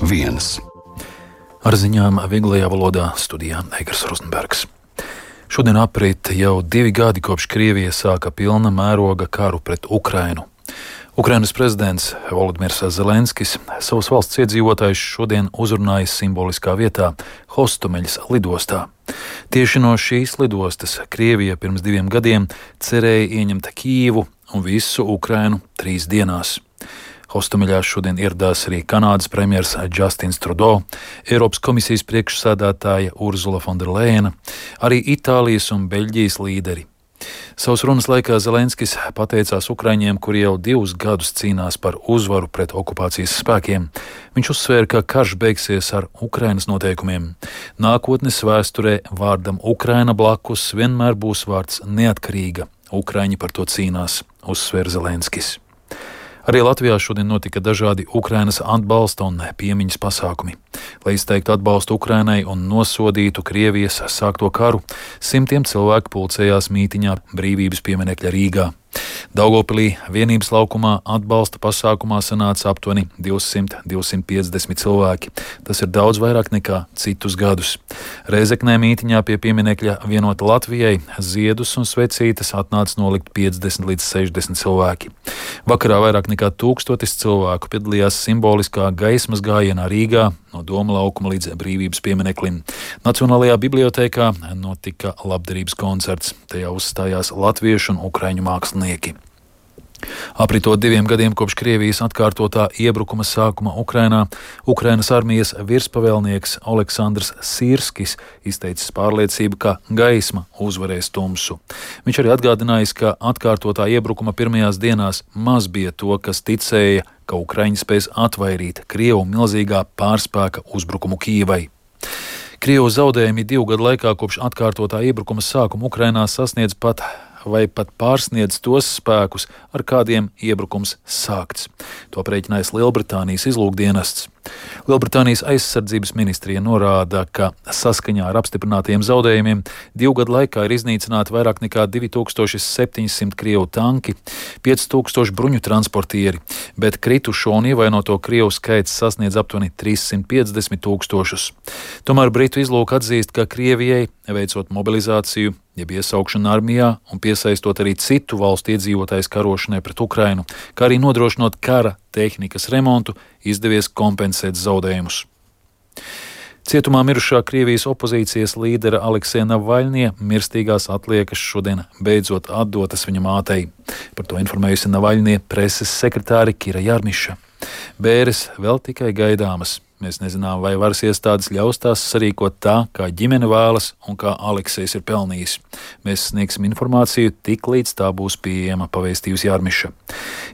viens. Ar ziņām vieglajā valodā studijā Eigars Rozenbergs. Šodien aprit jau 2 gadi kopš Krievija sāka pilna mēroga karu pret Ukrainu. Ukrainas prezidents Volodimirs Zelenskis savus valsts iedzīvotājus šodien uzrunājis simboliskā vietā Hostomeļas lidostā. Tieši no šīs lidostas Krievija pirms 2 gadiem cerēja ieņemt Kijivu un visu Ukrainu 3 dienās. Hostomeļā šodien ieradās arī Kanādas premjers Justins Trudeau, Eiropas komisijas priekšsēdētāja Urzula Fonderlejena, arī Itālijas un Beļģijas līderi. Savas runas laikā Zelenskis pateicās ukraiņiem, kuri jau 2 gadus cīnās par uzvaru pret okupācijas spēkiem. Viņš uzsvēra, ka karš beigsies ar Ukrainas noteikumiem. Nākotnes vēsturē vārdam Ukraina blakus vienmēr būs vārds neatkarīga. Ukraiņi par to cīnās, uzsvēra Zelenskis. Arī Latvijā šodien notika dažādi Ukrainas atbalsta un piemiņas pasākumi. Lai izteiktu atbalstu Ukrainai un nosodītu Krievijas sākto karu, simtiem cilvēku pulcējās mītiņā Brīvības pieminekļa Rīgā. Daugavpilī Vienības laukumā atbalsta pasākumā sanāca aptuveni 200–250 cilvēki. Tas ir daudz vairāk nekā citus gadus. Rēzeknē mītiņā pie pieminekļa Vienota Latvijai ziedus un svecītes atnāca nolikt 50–60 cilvēki. Vakarā vairāk nekā 1000 cilvēku piedalījās simboliskā gaismas gājienā Rīgā no Doma laukuma līdz Brīvības piemineklim. Nacionālajā bibliotēkā notika labdarības koncerts. Tajā uzstājās latviešu un ukraiņu mākslinieki. Apritot 2 gadiem kopš Krievijas atkārtotā iebrukuma sākuma Ukrainā, Ukrainas armijas virspavēlnieks Oleksandrs Sirskis izteicis pārliecību, ka gaisma uzvarēs tumsu. Viņš arī atgādinājis, ka atkārtotā iebrukuma pirmajās dienās maz bija to, kas ticēja, ka Ukraiņi spēs atvairīt Krievu milzīgā pārspēka uzbrukumu Kijivai. Krievu zaudējumi 2 gadu laikā kopš atkārtotā iebrukuma sākuma Ukrainā sasniedz pat pārsniedz tos spēkus, ar kādiem iebrukums sākts. To aprēķinājis Lielbritānijas izlūkdienests. Lielbritānijas aizsardzības ministrija norāda, ka saskaņā ar apstiprinātajiem zaudējumiem 2 gadu laikā ir iznīcināti vairāk nekā 2700 Krievu tanki, 5000 bruņu transportieri, bet kritušo un ievainoto Krievu skaits sasniedz aptuveni 350 000. Tomēr Britu izlūka atzīst, ka Krievijai, veicot mobilizāciju, jeb iesaukšanu armijā un piesaistot arī citu valstu iedzīvotājus karošanai pret Ukrainu, kā arī nodrošinot kara tehnikas remontu, izdevies kompensēt zaudējumus. Cietumā mirušā Krievijas opozīcijas līdera Aleksēja Navaļņija mirstīgās atliekas šodien beidzot atdotas viņa mātei. Par to informējusi Navaļņija preses sekretāre Kira Jarmiša. Bēres vēl tikai gaidāmas. Mēs nezinām, vai varas iestādes ļaus tās sarīkot tā, kā ģimene vēlas un kā Aleksejs ir pelnījis. Mēs sniegsim informāciju tik līdz tā būs pieejama, pavēstījusi Jarmiša.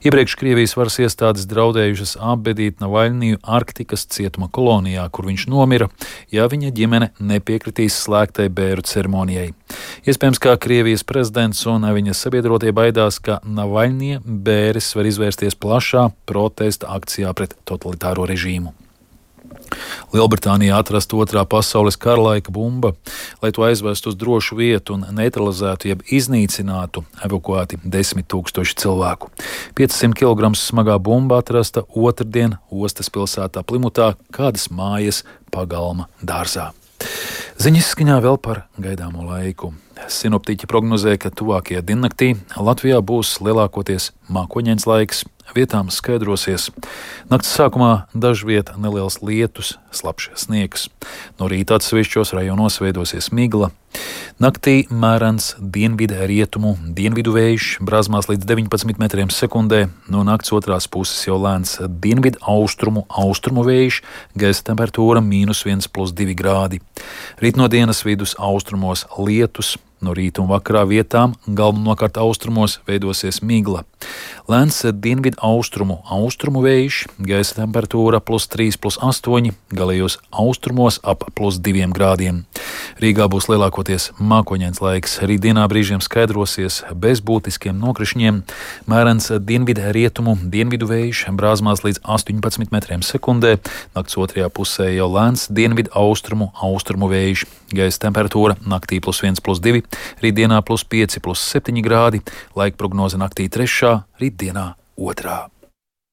Iepriekš Krievijas varas iestādes draudējušas apbedīt Navaļņiju Arktikas cietuma kolonijā, kur viņš nomira, ja viņa ģimene nepiekritīs slēgtai bēru ceremonijai. Iespējams, kā Krievijas prezidents un viņa sabiedrotie baidās, ka Navaļņija bēres var izvērsties plašā protesta akcijā pret totalitāro režīmu. Lielbritānijā atrasta 2. pasaules kara laika bumba. Lai to aizvestu uz drošu vietu un neutralizētu jeb iznīcinātu, evakuēti 10 000 cilvēku. 500 kg smagā bumba atrasta otrdien ostas pilsētā Plimutā, kādas mājas pagalma dārzā. Ziņas skaņā vēl par gaidāmo laiku. Sinoptiķi prognozē, ka tuvākajā diennaktī Latvijā būs lielākoties mākoņains laiks, vietām skaidrosies. Nakts sākumā dažviet neliels lietus, slapjš sniegs. No rīta atsevišķos rajonos veidosies migla. Naktī mērens dienvidu vējš, brāzmās līdz 19 metriem sekundē, no nakts otrās puses jau lēns dienvidu austrumu vējš, gaisa temperatūra -1,+2 grādi. Rīt no dienas vidus austrumos lietus, no rīta un vakarā vietām, galvenokārt austrumos, veidosies migla. Lēns dienvidu austrumu vējš, gaisa temperatūra +3,+8, galējos austrumos ap +2 grādiem. Rīgā būs lielākoties mākoņains laiks, rītdienā brīžiem skaidrosies bez būtiskiem nokrišņiem, mērens dienvidu vējš, brāzmās līdz 18 metriem sekundē, nakts otrajā pusē jau lēns dienvidu austrumu vējš, gaisa temperatūra naktī +1,+2, rītdienā +5,+7 grādi, laika prognoze naktī 3., rītdienā 2.